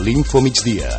l'Infomigdia.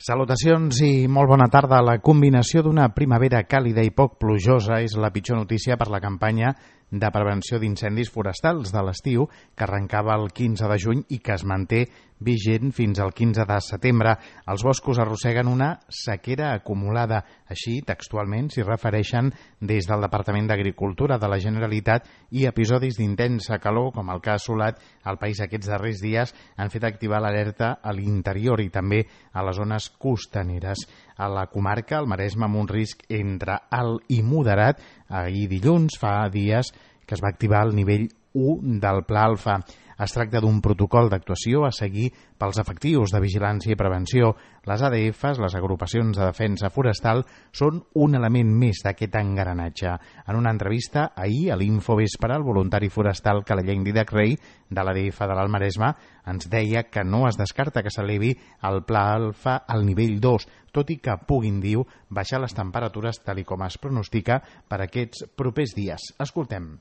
Salutacions i molt bona tarda. La combinació d'una primavera càlida i poc plujosa és la pitjor notícia per la campanya de prevenció d'incendis forestals de l'estiu que arrencava el 15 de juny i que es manté vigent fins al 15 de setembre. Els boscos arrosseguen una sequera acumulada. Així, textualment, s'hi refereixen des del Departament d'Agricultura de la Generalitat, i episodis d'intensa calor, com el que ha assolat el país aquests darrers dies, han fet activar l'alerta a l'interior i també a les zones costaneres. A la comarca, el Maresme, amb un risc entre alt i moderat, ahir dilluns, fa dies, que es va activar el nivell 1 del Pla Alfa. Es tracta d'un protocol d'actuació a seguir pels efectius de vigilància i prevenció. Les ADFs, les agrupacions de defensa forestal, són un element més d'aquest engranatge. En una entrevista ahir a l'Infovespre, el voluntari forestal Calelleny Dídac Rey, de l'ADF de l'Alt Maresme, ens deia que no es descarta que s'elevi el Pla Alfa al nivell 2, tot i que puguin, diu, baixar les temperatures tal com es pronostica per aquests propers dies. Escoltem.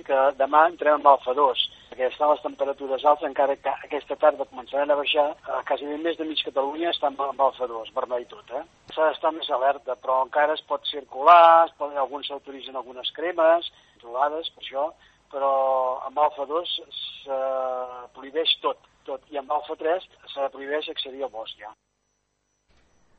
Que demà entrem amb alfa 2, perquè estan les temperatures altes, encara que aquesta tarda començaran a baixar, quasi més de mig Catalunya està amb alfa 2, vermell tot. S'ha d'estar més alerta, però encara es pot circular, alguns s'autoritzen algunes cremes, controlades per això, però amb alfa 2 se prohibeix tot, i amb alfa 3 se prohibeix accedir al bosc ja.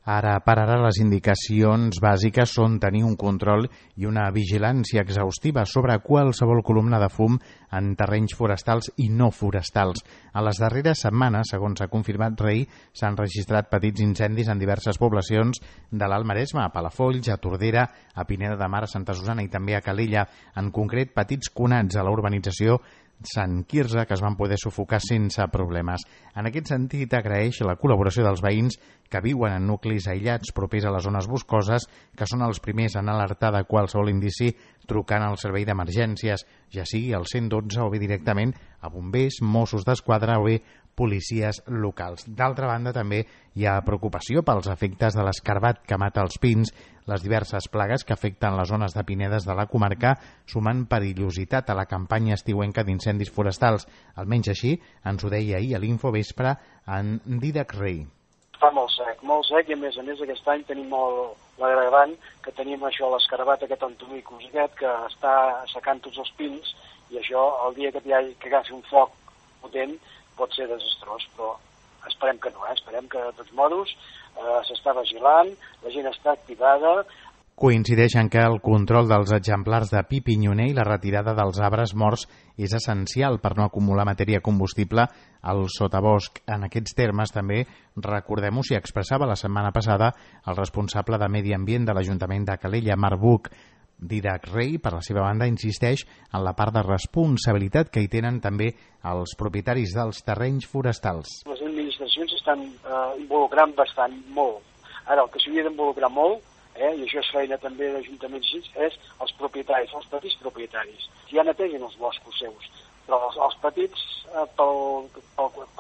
Ara per ara les indicacions bàsiques són tenir un control i una vigilància exhaustiva sobre qualsevol columna de fum en terrenys forestals i no forestals. A les darreres setmanes, segons ha confirmat Rey, s'han registrat petits incendis en diverses poblacions de l'Alt Maresme, a Palafolls, a Tordera, a Pineda de Mar, a Santa Susana i també a Calella. En concret, petits conats a la urbanització Sant Quirze, que es van poder sufocar sense problemes. En aquest sentit, agraeix la col·laboració dels veïns que viuen en nuclis aïllats propers a les zones boscoses, que són els primers en alertar de qualsevol indici trucant al servei d'emergències, ja sigui al 112 o bé directament a bombers, Mossos d'Esquadra o bé policies locals. D'altra banda, també hi ha preocupació pels efectes de l'escarbat que mata els pins, les diverses plagues que afecten les zones de pinedes de la comarca, sumant perillositat a la campanya estiuenca d'incendis forestals. Almenys així ens ho deia ahir a l'Infovespre en Dídac Rey. Fa molt sec, i a més aquest any tenim l'agravant que tenim això, l'escarbat aquest Antomicus que està assecant tots els pins, i això el dia que agafi un foc potent pot ser desastrós, però esperem que no, esperem que de tots modos s'està vigilant, la gent està activada. Coincideixen que el control dels exemplars de pi pinyoner i la retirada dels arbres morts és essencial per no acumular matèria combustible al sotabosc. En aquests termes també, recordem-ho, s'hi expressava la setmana passada el responsable de Medi Ambient de l'Ajuntament de Calella, Marc Buch. Dídac Rey, per la seva banda, insisteix en la part de responsabilitat que hi tenen també els propietaris dels terrenys forestals. Les administracions s'estan involucrant bastant, molt. Ara, el que s'hauria d'involucrar molt, i això és feina també d'ajuntaments, és els propietaris, els petits propietaris. Ja netegen els boscos seus, però els petits, per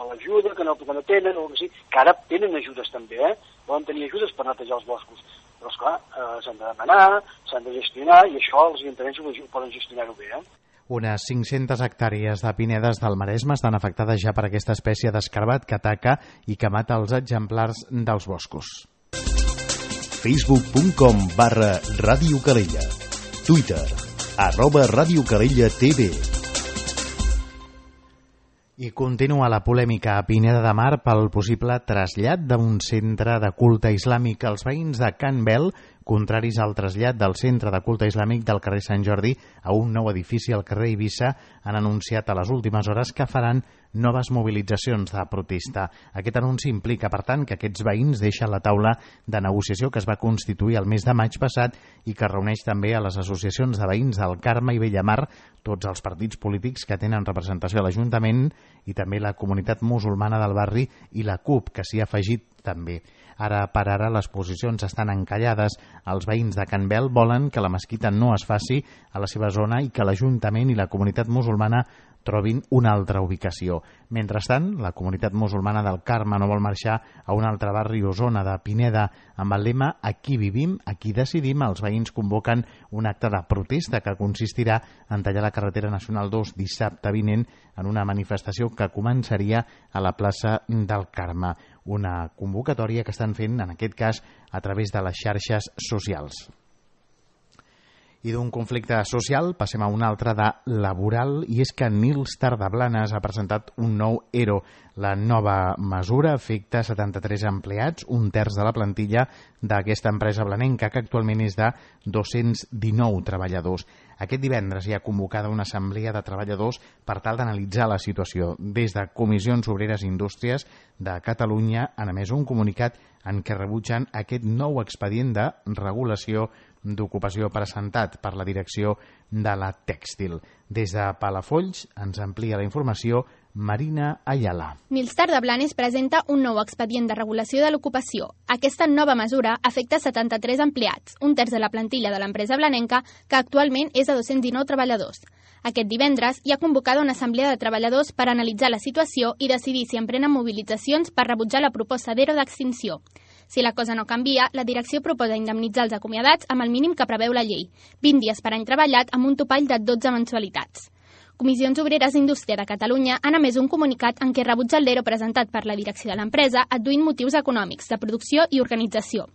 l'ajuda que no tenen, o que ara tenen ajudes també, poden tenir ajudes per netejar els boscos. Però, esclar, s'han de demanar, s'han de gestionar, i això els ajuntaments poden gestionar-ho bé. Unes 500 hectàrees de pinedes del Maresme estan afectades ja per aquesta espècie d'escarbat que ataca i que mata els exemplars dels boscos. Facebook.com/Ràdio Calella. Twitter @Ràdio Calella TV. I continua la polèmica a Pineda de Mar pel possible trasllat d'un centre de culte islàmic. Els veïns de Can Bel, contraris al trasllat del centre de culte islàmic del carrer Sant Jordi a un nou edifici al carrer Eivissa, han anunciat a les últimes hores que faran noves mobilitzacions de protesta. Aquest anunci implica, per tant, que aquests veïns deixen la taula de negociació que es va constituir el mes de maig passat i que reuneix també a les associacions de veïns del Carme i Bellamar, tots els partits polítics que tenen representació a l'Ajuntament i també la comunitat musulmana del barri i la CUP, que s'hi ha afegit també. Ara per ara les posicions estan encallades. Els veïns de Can Bel volen que la mesquita no es faci a la seva zona i que l'Ajuntament i la comunitat musulmana trobin una altra ubicació. Mentrestant, la comunitat musulmana del Carme no vol marxar a un altre barri o zona de Pineda amb el lema "Aquí vivim, aquí decidim". Els veïns convoquen un acte de protesta que consistirà en tallar la carretera nacional 2 dissabte vinent en una manifestació que començaria a la plaça del Carme. Una convocatòria que estan fent, en aquest cas, a través de les xarxes socials. I d'un conflicte social passem a un altre de laboral, i és que Nils Tardablanes ha presentat un nou ERO. La nova mesura afecta 73 empleats, un terç de la plantilla d'aquesta empresa blanenca, que actualment és de 219 treballadors. Aquest divendres hi ha convocada una assemblea de treballadors per tal d'analitzar la situació. Des de Comissions Obreres i Indústries de Catalunya han emès un comunicat en què rebutgen aquest nou expedient de regulació d'ocupació presentat per la direcció de la Tèxtil. Des de Palafolls ens amplia la informació Marina Ayala. Nils Tardablanes presenta un nou expedient de regulació de l'ocupació. Aquesta nova mesura afecta 73 empleats, un terç de la plantilla de l'empresa blanenca, que actualment és de 219 treballadors. Aquest divendres hi ha convocada una assemblea de treballadors per analitzar la situació i decidir si emprenen mobilitzacions per rebutjar la proposta d'ERO d'extinció. Si la cosa no canvia, la direcció proposa indemnitzar els acomiadats amb el mínim que preveu la llei, 20 dies per any treballat amb un topall de 12 mensualitats. Comissions Obreres i Indústria de Catalunya han emès un comunicat en què rebutja l'ERO presentat per la direcció de l'empresa, adduint motius econòmics, de producció i organització.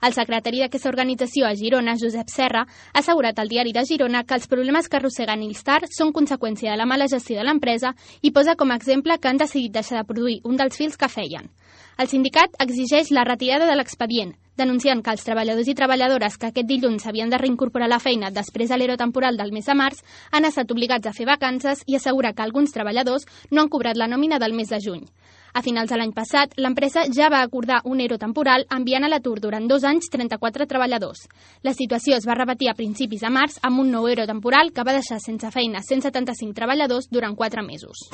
El secretari d'aquesta organització a Girona, Josep Serra, ha assegurat al diari de Girona que els problemes que arrossega Nilstar són conseqüència de la mala gestió de l'empresa i posa com a exemple que han decidit deixar de produir un dels fils que feien. El sindicat exigeix la retirada de l'expedient, denunciant que els treballadors i treballadores que aquest dilluns s'havien de reincorporar a la feina després de l'ERO temporal del mes de març han estat obligats a fer vacances i assegura que alguns treballadors no han cobrat la nòmina del mes de juny. A finals de l'any passat, l'empresa ja va acordar un ERO temporal enviant a l'atur durant 2 anys 34 treballadors. La situació es va repetir a principis de març amb un nou ERO temporal que va deixar sense feina 175 treballadors durant 4 mesos.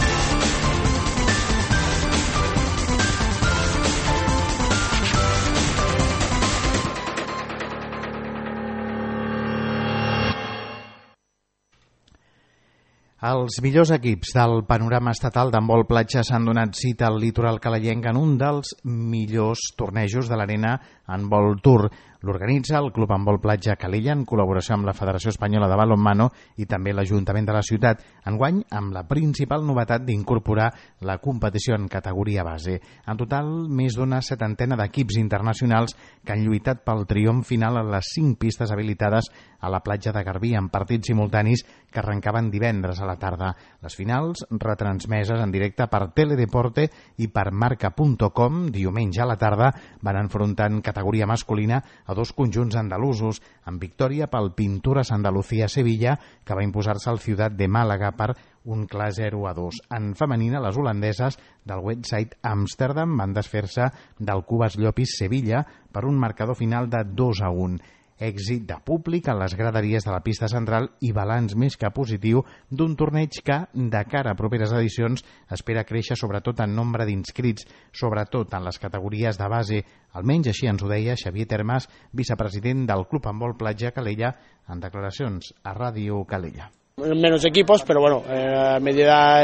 Els millors equips del panorama estatal d'handbol platja s'han donat cita al litoral calayenc en un dels millors tornejos de l'Arena Handball Tour. L'organitza el Club Handbol Platja Calella en col·laboració amb la Federació Espanyola de Balonmano i també l'Ajuntament de la ciutat, enguany amb la principal novetat d'incorporar la competició en categoria base. En total, més d'una 70ena d'equips internacionals que han lluitat pel triomf final a les 5 pistes habilitades a la platja de Garbí en partits simultanis que arrencaven divendres a la tarda. Les finals, retransmeses en directe per Teledeporte i per Marca.com, diumenge a la tarda, van enfrontar en categoria masculina a 2 conjunts andalusos, amb victòria pel Pinturas Andalucía Sevilla, que va imposar-se al Ciutat de Màlaga per un clar 0-2. En femenina, les holandeses del Westside Amsterdam van desfer-se del Cubas Llopis Sevilla per un marcador final de 2-1. Èxit de públic en les graderies de la pista central i balanç més que positiu d'un torneig que, de cara a properes edicions, espera créixer sobretot en nombre d'inscrits, sobretot en les categories de base. Almenys així ens ho deia Xavier Termas, vicepresident del Club Handbol Platja Calella, en declaracions a Ràdio Calella. Menos equipos, pero bueno, a medida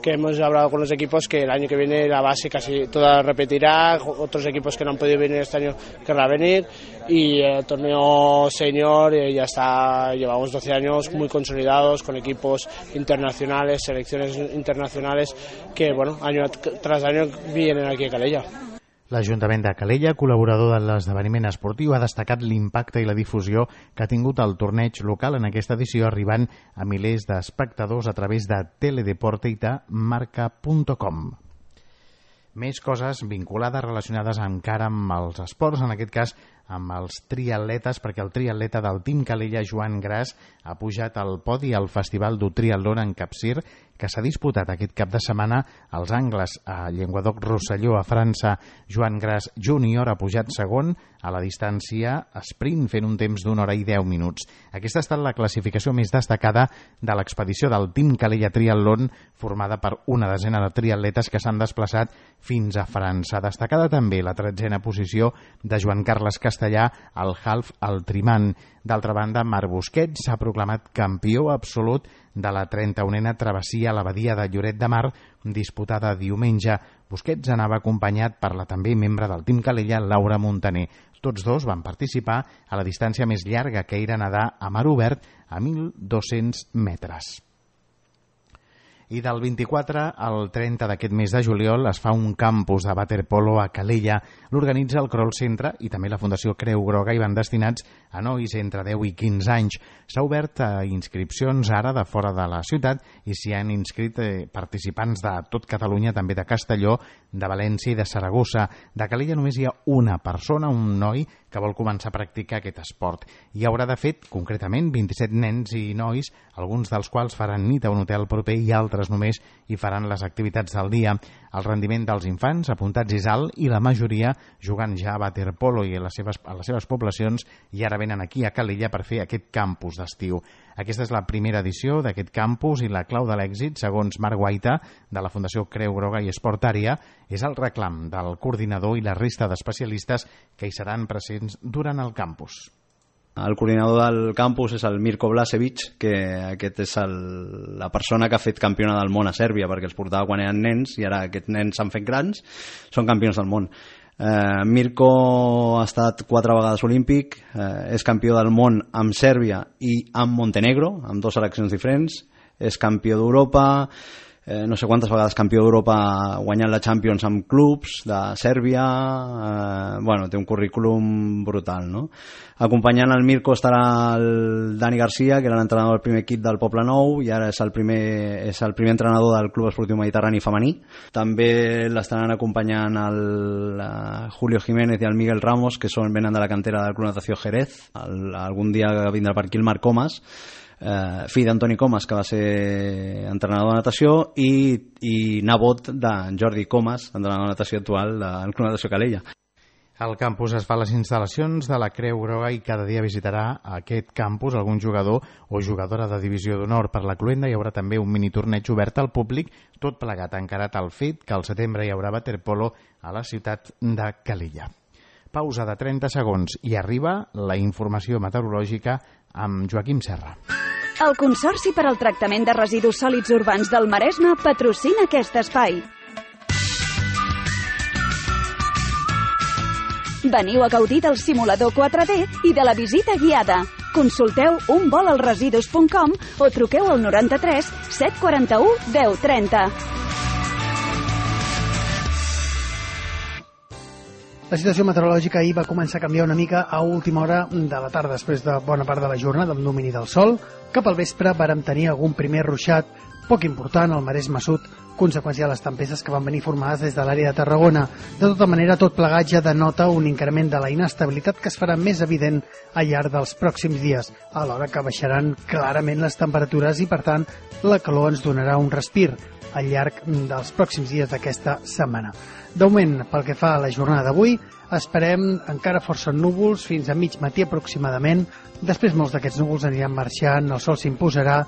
que hemos hablado con los equipos, que el año que viene la base casi toda repetirá, otros equipos que no han podido venir este año querrán venir, y el torneo senior ya está, llevamos 12 años muy consolidados, con equipos internacionales, selecciones internacionales, que bueno, año tras año vienen aquí a Calella. L'Ajuntament de Calella, col·laborador de l'esdeveniment esportiu, ha destacat l'impacte i la difusió que ha tingut el torneig local en aquesta edició, arribant a milers d'espectadors a través de Teledeporte i de Marca.com. Més coses vinculades, relacionades encara amb els esports, en aquest cas amb els triatletes, perquè el triatleta del Team Calella, Joan Gras, ha pujat al podi al Festival du Triatlon en Capcir, que s'ha disputat aquest cap de setmana als Angles a Llenguadoc-Rosselló, a França. Joan Gras Júnior ha pujat segon a la distància sprint, fent un temps d'1 hora i 10 minuts. Aquesta ha estat la classificació més destacada de l'expedició del Team Calella Triatlon, formada per una desena de triatletes que s'han desplaçat fins a França. Destacada també la 13a posició de Joan Carles Castellà, castellà el Half Altriman. D'altra banda, Marc Busquets s'ha proclamat campió absolut de la 31a travessia a la badia de Lloret de Mar, disputada diumenge. Busquets anava acompanyat per la també membre del Team Calella, Laura Montaner. Tots dos van participar a la distància més llarga, que era nedar a mar obert a 1.200 metres. I del 24 al 30 d'aquest mes de juliol es fa un campus de waterpolo a Calella. L'organitza el Kroll Centre i també la Fundació Creu Groga i van destinats a nois entre 10 i 15 anys. S'ha obert a inscripcions ara de fora de la ciutat i s'hi han inscrit participants de tot Catalunya, també de Castelló, de València i de Saragossa. De Calella només hi ha una persona, un noi, que vol començar a practicar aquest esport. Hi haurà, de fet, concretament 27 nens i nois, alguns dels quals faran nit a un hotel proper i altres només hi faran les activitats del dia. El rendiment dels infants apuntats és alt i la majoria jugant ja a waterpolo i a les seves poblacions i ara venen aquí a Calella per fer aquest campus d'estiu. Aquesta és la primera edició d'aquest campus i la clau de l'èxit, segons Marc Guaita, de la Fundació Creu Groga i Esportària, és el reclam del coordinador i la resta d'especialistes que hi seran presents durant el campus. El coordinador del campus és el Mirko Blasevic, que aquest és la persona que ha fet campiona del món a Sèrbia, perquè els portava quan eren nens i ara aquests nens s'han fet grans, són campions del món. Mirko ha estat 4 vegades olímpic, és campió del món amb Sèrbia i amb Montenegro, amb 2 seleccions diferents, és campió d'Europa, no sé quantes vegades campió d'Europa guanyant la Champions amb clubs de Sèrbia, té un currículum brutal, no? Acompanyant el Mirko estarà el Dani Garcia, que era l'entrenador del primer equip del Poble Nou i ara és el primer entrenador del Club Esportiu Mediterrani femení. També l'estaran acompanyant el Julio Jiménez i el Miguel Ramos, que venen de la cantera del Club Natació Jerez. Algun dia vindrà per aquí el Marc Comas, fill d'Antoni Comas, que va ser entrenador de natació, i nebot de Jordi Comas, entrenador de natació actual del Club Natació Calella. El campus es fa a les instal·lacions de la Creu Groga i cada dia visitarà aquest campus algun jugador o jugadora de divisió d'honor. Per la cloenda hi haurà també un mini torneig obert al públic, tot plegat encarat al fet que al setembre hi haurà waterpolo a la ciutat de Calella. Pausa de 30 segons i arriba la informació meteorològica amb Joaquim Serra. El Consorci per al Tractament de Residus Sòlids Urbans del Maresme patrocina aquest espai. Veniu a gaudir del simulador 4D i de la visita guiada. Consulteu unvolalresidus.com o truqueu al 93 741 1030. La situació meteorològica ahir va començar a canviar una mica a última hora de la tarda, després de bona part de la jornada amb domini del sol. Cap al vespre vàrem tenir algun primer ruixat poc important al Maresme Sud, conseqüència de les tempestes que van venir formades des de l'àrea de Tarragona. De tota manera, tot plegat ja denota un increment de la inestabilitat que es farà més evident al llarg dels pròxims dies, alhora que baixaran clarament les temperatures i, per tant, la calor ens donarà un respir al llarg dels pròxims dies d'aquesta setmana. D'augment, pel que fa a la jornada d'avui, esperem encara força núvols fins a mig matí aproximadament. Després molts d'aquests núvols aniran marxant, el sol s'imposarà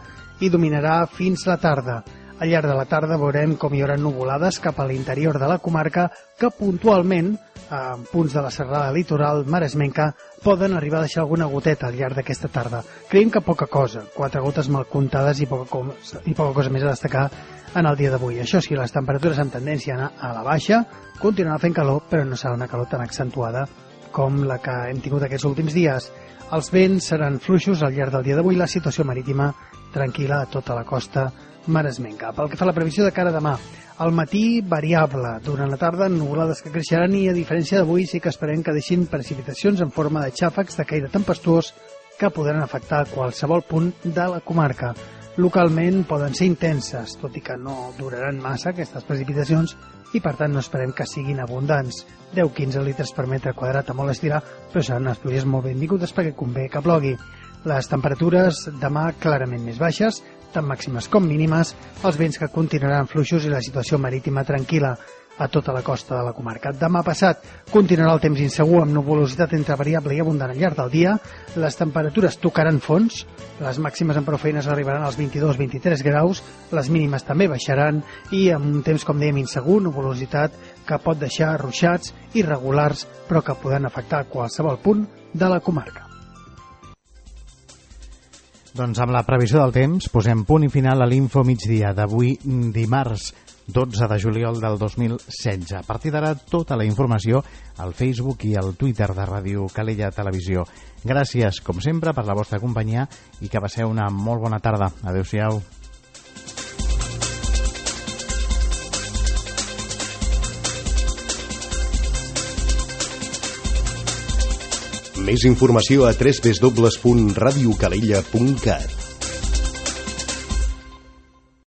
i dominarà fins la tarda. Al llarg de la tarda veurem com hi haurà nuvolades cap a l'interior de la comarca que puntualment, en punts de la serrada litoral maresmenca, poden arribar a deixar alguna goteta al llarg d'aquesta tarda. Creiem que poca cosa, 4 gotes mal comptades i poca cosa més a destacar en el dia d'avui. Això sí, les temperatures amb tendència a anar a la baixa, continuarà fent calor, però no serà una calor tan accentuada com la que hem tingut aquests últims dies. Els vents seran fluixos al llarg del dia d'avui, la situació marítima tranquil·la a tota la costa maresmenca. Pel que fa a la previsió de cara a demà, al matí variable, durant la tarda nuvolades que creixeran i a diferència d'avui sí que esperem que deixin precipitacions en forma de xàfecs de caire tempestuós que podran afectar qualsevol punt de la comarca. Localment poden ser intenses, tot i que no duraran massa aquestes precipitacions i per tant no esperem que siguin abundants. 10-15 litres per metre quadrat a molt estirar, però seran unes pluies molt benvingudes perquè convé que plogui. Les temperatures demà clarament més baixes, tant màximes com mínimes, els vents que continuaran fluixos i la situació marítima tranquil·la. a tota la costa de la comarca. Demà passat continuarà el temps insegur amb nuvolositat entre variable i abundant al llarg del dia. Les temperatures tocaran fons, les màximes en prou feines arribaran als 22-23 graus, les mínimes també baixaran i amb un temps, com dèiem, insegur, nuvolositat que pot deixar ruixats irregulars però que poden afectar qualsevol punt de la comarca. Doncs amb la previsió del temps posem punt i final a l'Info Migdia d'avui dimarts 12 de juliol del 2016. A partir d'ara tota la informació al Facebook i al Twitter de Ràdio Calella Televisió. Gràcies, com sempre, per la vostra companyia i que passeu una molt bona tarda. Adéu-siau. Més informació a www.radiocalella.cat.